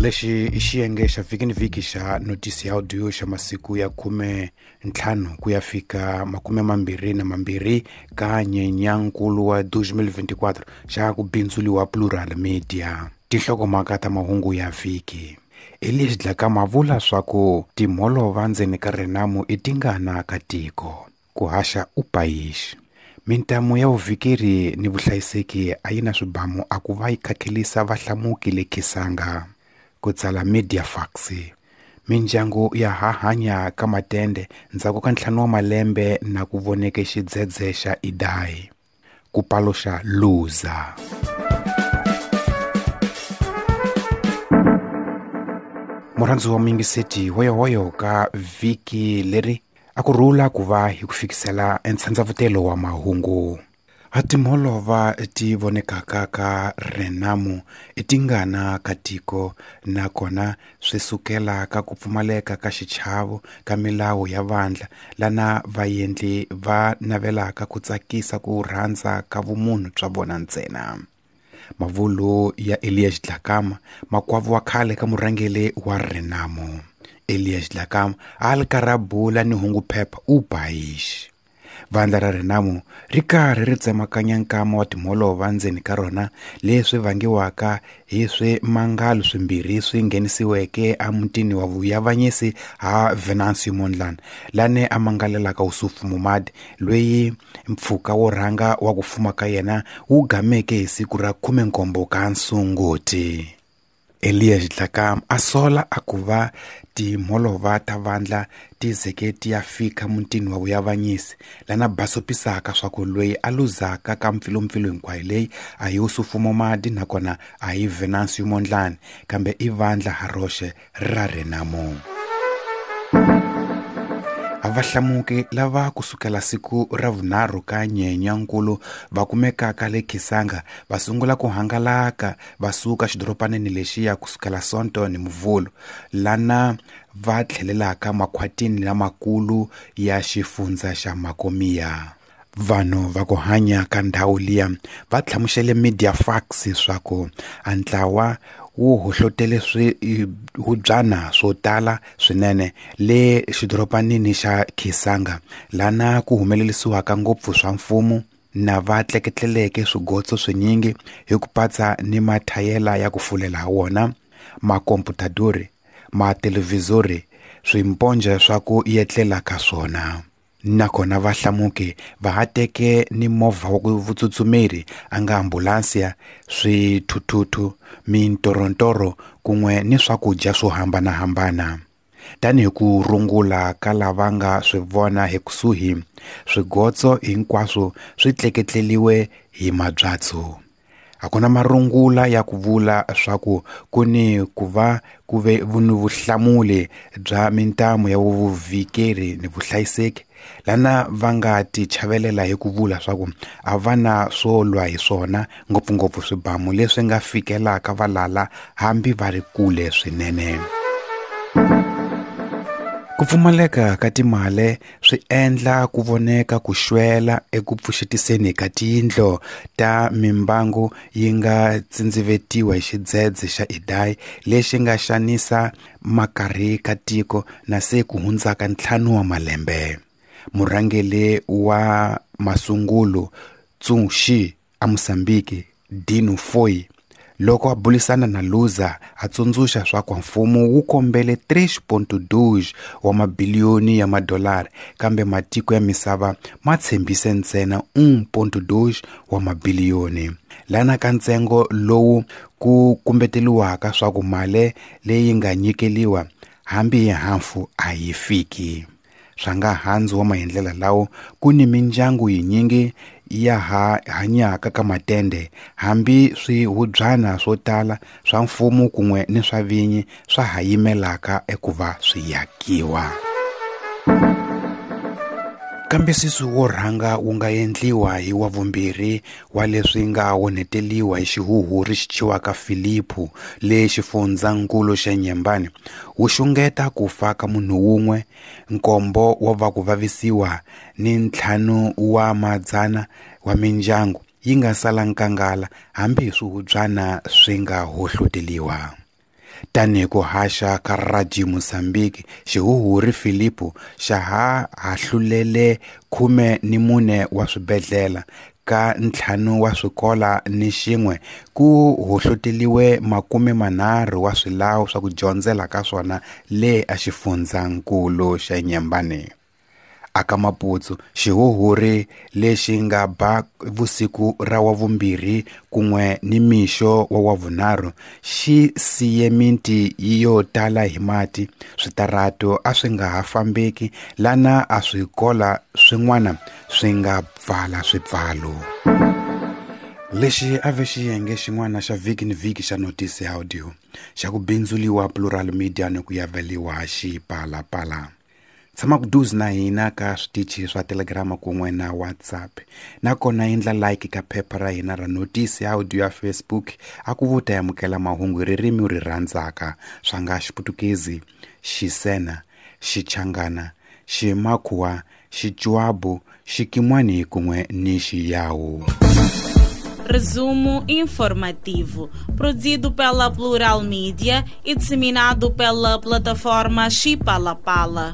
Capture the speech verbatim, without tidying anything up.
Lexi i xiyenge xa vhiki ni vhiki xa notisi ya audio xa masiku ya khume ntlhanu ku ya fika makume mambirhi na mambirhi ka Nyenyankulu wa deux mille vingt-quatre xa ku bindzuliwa Plural Media. Tinhlokomhaka ta mahungu ya vhiki. Elias Dhlakama vula swa ku timholova ndzeni ka Renamo i tingana ka tiko. Ku haxa u payixi. Mintamu ya vuvikeri ni vuhlayiseki a yi na swibamu a ku va yi khakhelisa vahlamuki le Kisanga. Ku tsala Mediafax. Mindyangu ya ha hanya ka matende ndzhaku ka ntlhanu wa malembe na ku voneke xidzedze xa Idai. Ku paluxa Luza. Murhandzi wa muyingiseti hoyohoyo ka vhiki leri a ku rhula ku va hi ku fikisela entshandzavutelo wa mahungu. A timholova ti vonekaka ka Renamo i tingana ka tiko nakona swi sukela ka ku pfumaleka ka xichavo ka milawu ya vandla lana vaendli va navelaka ku tsakisa ku rhandza ka vumunhu bya vona ntsena. Mavulo ya Elias Dhlakama, makwavo wa khale ka murhangeri wa Renamo. Elias Dhlakama a ri karhi a bula ni hungu phepha u bayixi. Vandla ra Renamo ri karhi ri tsemakanya nkama wa timholova ndzeni ka rona leswi vangiwaka hi swimangalo swimbirhi swi nghenisiweke emutini wa vuavanyisi ha Venancio Mondlane lane a mangalelaka Ossufo Momade loyi mpfhuka wo rhanga wa ku fuma ka yena wu gameke hi siku ra khume nkombo ka Sunguti. Elias Dhlakama a sola a ku va timholova ta vandla ti zeke ti ya fika mutini wa vuavanyisi lana basopisaka swa ku loyi a luzaka ka mpfilumpfilu hinkwayo leyi a hi Ossufo Momade nakona a hi Venancio Mondlane kambe i vandla ha roxe ra Renamo. A vahlamuki lava kusukela siku ra vunharhu ka Nyenyankulu va kumekaka le Kisanga va sungula ku hangalaka va suka xidoropaneni lexiya kusukela Sonto ni Muvhulu lana va tlhelelaka makhwatini lamakulu ya xifundza xa Makomia. Vanhu va ku hanya ka ndhawu liya va hlamusele Mediafax swa ku a ntlawa wu hohlotele swihubyana swo tala swinene le xidoropanini xa Kisanga lana ku humelerisiwaka ngopfu swa mfumo na va tleketleleke swigotso swinyingi hi ku patsa ni mathayela ya ku fulela ha wona, makomputadori, mathelevhizori, swimponje swa ku yetlela ka swona. Nakona vahlamuki va ha teke ni movha wa vutsutsumeri a nga ambulansiya, swithuthuthu, mintorontoro kun'we ni swakudya swo hambanahambana. Tanihi ku rungula ka lava nga swi vona hi kusuhi, swigotso hinkwaswo swi tleketleliwe hi mabyatso. A ku na marungula ya ku vula swa ku ku ni ku va ku ve ni vuhlamuli bya mintamu ya vuvikeri ni vuhlayiseki lana va nga ti chavelela hi ku vula swa ku a va na swo lwa hi swona ngopfungopfu swibamu leswi nga fikelaka valala hambi va ri kule swinene. Ku pfumaleka ka timali swi endla ku voneka ku xwela eku pfuxetiseni ka tiyindlu ta mimbangu yi nga tsindzivetiwa hi xidzedze xa Idai lexi nga xanisa makarhi ka tiko na se ku hundzaka ntlhanu wa malembe. Murhangeri wa masungulo Tsunxi a Mozambique Dino Foi loko a bulisana na Luza a tsundzuxa swa ku mfumo wu kombele tres ponto dois wa mabiliyoni ya madolara kambe matiko ya misava ma tshembise ntsena un ponto dois wa mabiliyoni. Lana ka ntsengo lowu ku kumbeteliwaka swa ku mali leyi nga nyikeliwa hambi hi hafu a yi fiki. Swa nga handzu wa maendlela lawo ku ni mindyangu yinyingi ya ha hanyaka ka matende hambi swihubyana swo tala swa mfumo kun'we ni swa vinyi swa ha yimelaka ekuva swi yakiwa. Kambisisiso wo rhanga wu nga endliwa hi wa vumbirhi wa leswi nga onheteliwa hi xihuhuri xi thyiwaka Filipu le xifundzankulu xa Nyembani wu xungeta ku fa ka munhu wun'we, nkombo wa va ku vavisiwa ni ntlhanu wa madzana wa mindyangu yi nga sala nkangala hambi hi swihubyana swi nga hohloteliwa. Tanihi ku haxa ka Radio Mozambique, xihuhuri Filipo xa ha hahlulele khume ni mune wa swibedhlele ka ntlhanu wa swikola ni xin'we ku hohloteliwe makume manharhu wa swilawu swa ku dyondzela ka swona le a xifundzankulu xa Nyembane. Aka Maputo, xihuhuri lexi nga ba vusiku ra wavumbirhi kun'we ni mixo wa wavunharhu xi siye miti yo tala hi mati, switarato a swi nga ha fambeki lana a swikola swin'wana swi nga pfala swipfalo. Lexi a ve xiyenge xin'wana xa vhiki ni vhiki xa Notice Audio xa ku bindzuliwa Plural Media ni ku yaveliwa Xipalapala. Tshama kuduze na hina ka switichi swa Telegram kun'we na WhatsApp, nakona endla like ka phepha ra hina ra Notice Audio ya Facebook a ku vuta amukela mahungu hi ririmi u ri rhandzaka swa nga Xiputukezi, Xisena, Xichangana, Ximakhuwa, Xichuabu, Xikimwani kun'we ni Xiyawu. Resumo informativo, produzido pela Plural Media e disseminado pela plataforma Xipalapala.